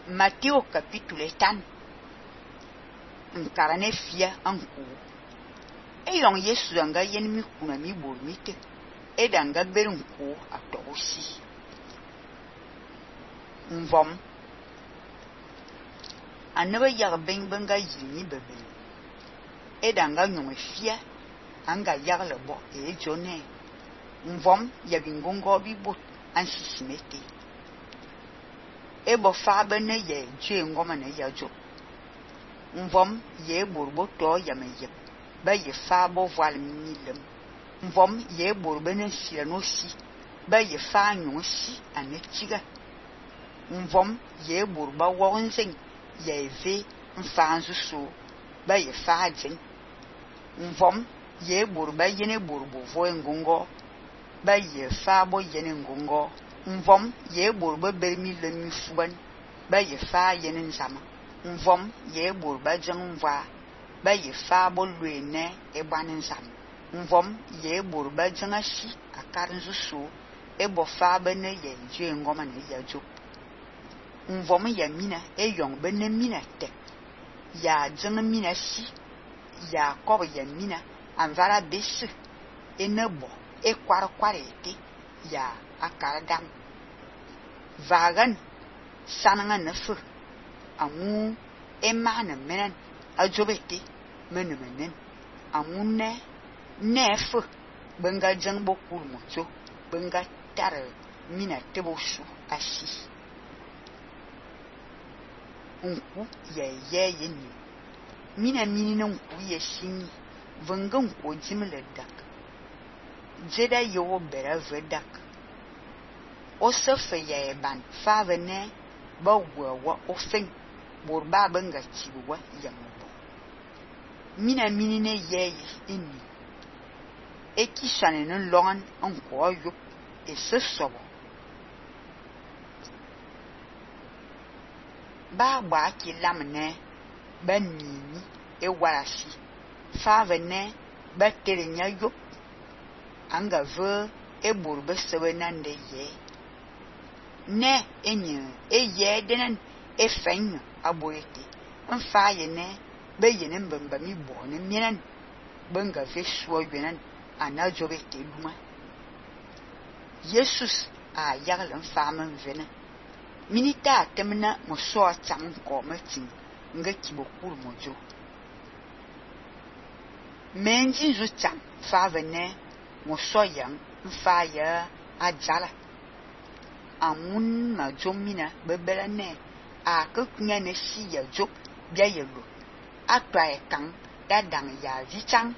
Matteo capítulo 3 nkarane fia anku eyong Yesu anga yen mi kuna mi bor mite edanga berunku atosi mvom anaba yag ben benga yini bebe edanga nyome fia anga yagle bo ejone mvom yabingongo bibot ansisimete ebo fabe ne ye jwe ngoma ne yajo mvom ye borbo to yameyep ba ye fabo voile milem mvom ye borbe ne siranosi ba ye fa nyonsi anetiga mvom ye borba wonzen ye ve mfanzu so ba ye fa jen mvom ye borba yene borbo vo ngongo ba ye fabo yene ngongo mvom ye borba bermi lemi fuban ba ye fa yene nzama mvom ye borba jangwa ba ye fabo luene eban nzam mvom ye borba jangashi akarinzu so ebo fabo ne ye jwe ngoma ne yajo mvom ya mina eyong bene mina tek ya jang mina si ya kob ya mina anvara bese enebo ekwar ete ya akaradam vagan sananga nefu amu emana menen ajobete menemenen amune nefu benga jangbo kurmojo benga tar mina tebosu asi unku ye yeni mina minina unku ye sini vengan ko jimle dak jeda yo bera vedak o sefe ye ban favene ba wa ofen borba benga chiwa yamubo mina minine ye inni ekishane no longan onko yo esesobo ba ki lamne ba nini e warasi favene ba terenya yo anga ve e borbe sebenande ye ne enye eye denen efenyo aboyete mfa ye ne be yene mbamba mi bo ne mienen benga ve suo yenan anajobete luma Jesus a yagle mfama mvena minita temna mo so cham ko matin nga kibokuru mojo menji zu cham fa vene mo so yang mfa ya ajala amun ma jomina bebela ne a kunya ne si ya jo bia yelo atwa e kan dadang ya vichang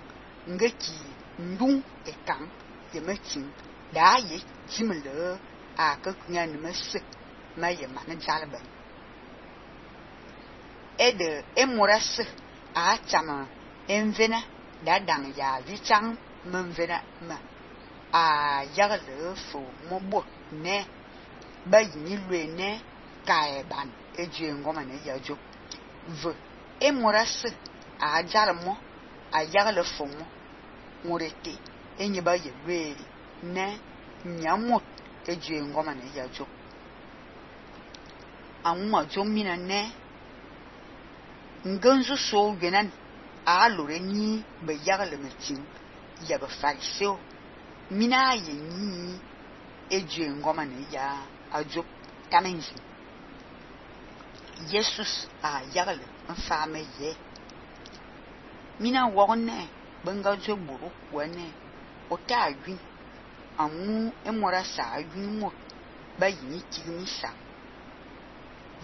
ngeki ndung e kan ye metin da ye jimle a kunya ne mese ma ye ma ne jalba ede emoras a chama envena dadang ya vichang menvena ma a yagle fo mobo ne ba yini luene kaeban ejue ngoma ne yajo v emoras a jarmo a yagle fo mo murete enye ba ye lueri ne nyamot ejue ngoma ne yajo amuma jomina ne nganzu so genan a loreni be yagle metin ya ba fariseo mina ye ni ejue ngoma ne ya ajo kamenzi Jesus a yagle mfame ye mina wonne benga jo buru wone ota agwi amu emora sa agwi mo ba yini tigni sa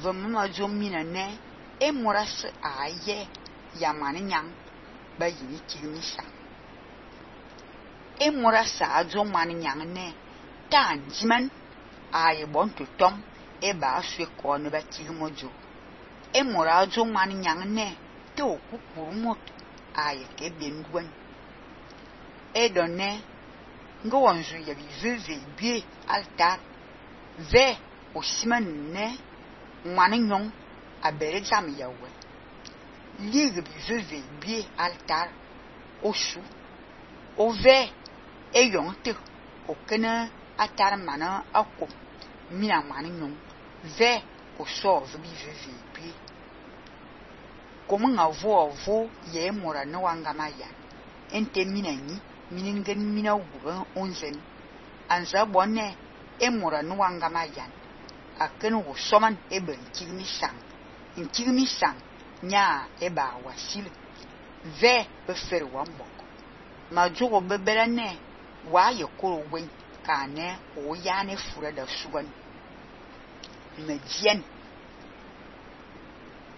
vamma jo mina ne emora sa aye yamane nyang ba yini tigni sa emora sa jo mane nyang ne tan jiman aye bon to tom e ba aswe ko ne ba tigmojo emora jo mane nyang ne te okukuru mot aye ke bendwan edone ngo wanzu ya bive bie altar ve osiman ne mane nyong abere jam yawe ligue bive bie altar osu ove eyong te okena atar mana akko mina mane nyong ve o so vi pi como nga vo ye mora no wanga maya ente mina ni minin mina wuga onzen anza bonne e mora no wanga maya aken wo soman e ben kigmi sang nya e ba wasil ve be fer wambok ma jogo bebera ne wa ye koro wen ka ne o ya ne fura da suwan me dien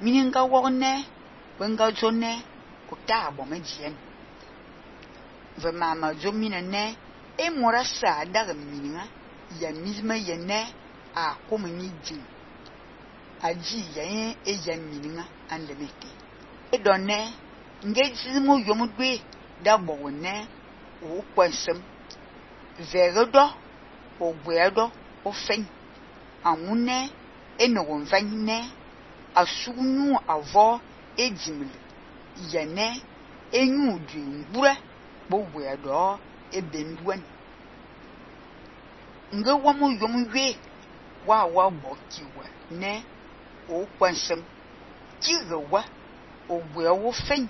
mininga wonne wenga jonne ko ta bo me dien ve mama jo minene e mora sa daga mininga ya misma yene a como ni din aji ya e ya mininga ande mete e donne ngeji mo yomudwe da bo wonne o kwansem vegodo o gwedo o fen amune enogon vanne asunu avo ejimle yene enyu du ngura bo gwedo e benduan nge womo yomwe wa bo kiwa ne o kwansem kiwa o gwewo fen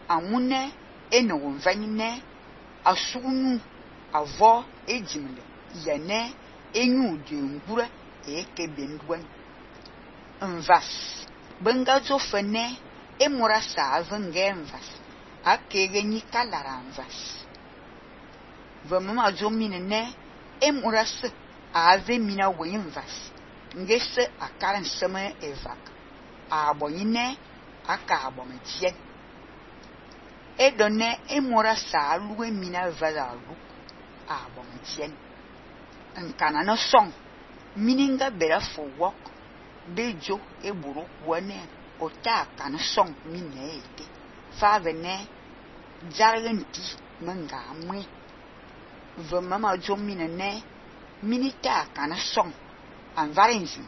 amune enogon vanne asunu avo ejimle yene enyu du ngura e ke benduan mvas benga zo fene e mora sa venge mvas akege ni kalara mvas vamama zo minene e mora se ave mina we mvas ngese akaran seme evak abonyine aka abomedien e donne e mora sa luwe mina vala lu abomedien nkana no song mininga bera for work bejo e buru wone ota kan song minete fa vene jargenti menga mwe ve mama jo minene minita kan song an varenzi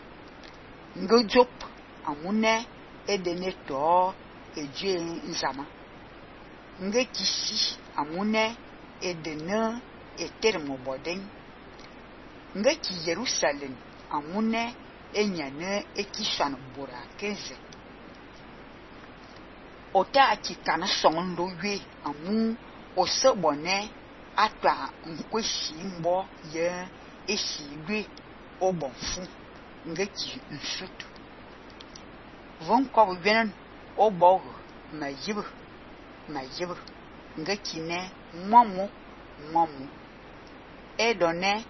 ngojop amune e deneto eje nzama nge kisi amune e dene e termo boden nge ki Jerusalem amune enyane ekishan bora kenze ota ki kana song lo we amu o se bone atwa nkweshi mbo ye esigwe obonfu nge ki nsutu von ko benen obo mayibu nge ki ne momu e donne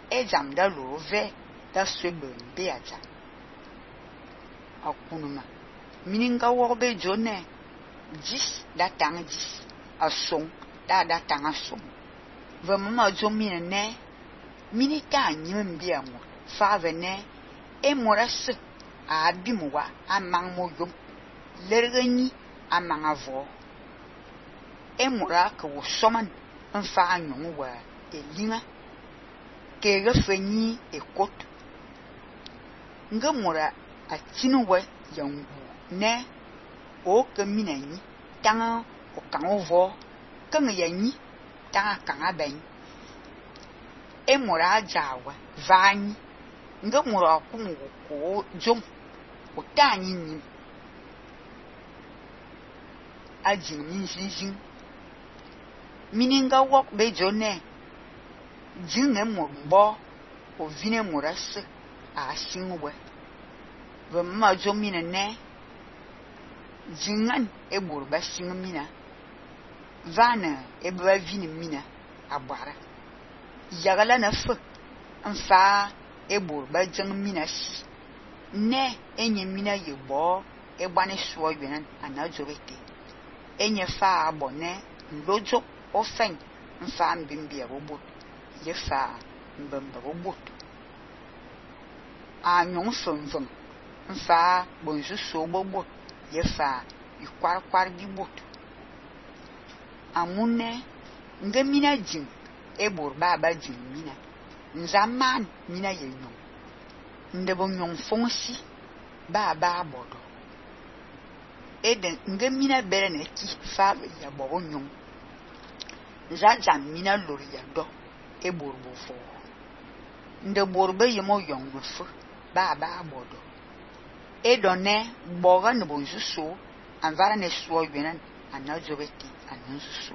e jamda lo ve da swebe beata akunuma mininga wobe jone 10 da tang 10 asong da tang asong vamama jo minene minita nyim biamo fa vene e moras a bimwa amang moyo lergani amang avo e mora ko soman mfa anyu wa elinga ke refeni e kot ngamura atinuwe yangu ne o kaminani tanga o kangovo kanga yanyi tanga kanga ben e mura jawa vani ngamura kumu ko jom o tani ni ajin nin mininga wok be jone jinne mbo o vine muras a singwe ve ma jo minene jingan e burba singmina vana e ba vini mina abara yagala na fe nfa e burba jingmina si ne enye mina yebo e bane so yenan anajorete enye fa abone lojo ofen nfa mbimbia robot ye fa mbamba robot a nyon fonfon nfa bonju so bobot ye fa ikwar bi bot amune ngamina jin e burba ba jin mina nzaman mina ye nyon ndebo nyon fonsi ba bodo eden ngamina bere na ki fa ya bobo nyon zaza mina lori ya do e borbo fo nde borbe yemo yong fu ba bodo e donne boga ne bonzusu anvara ne suo yenen anazobeti anunzusu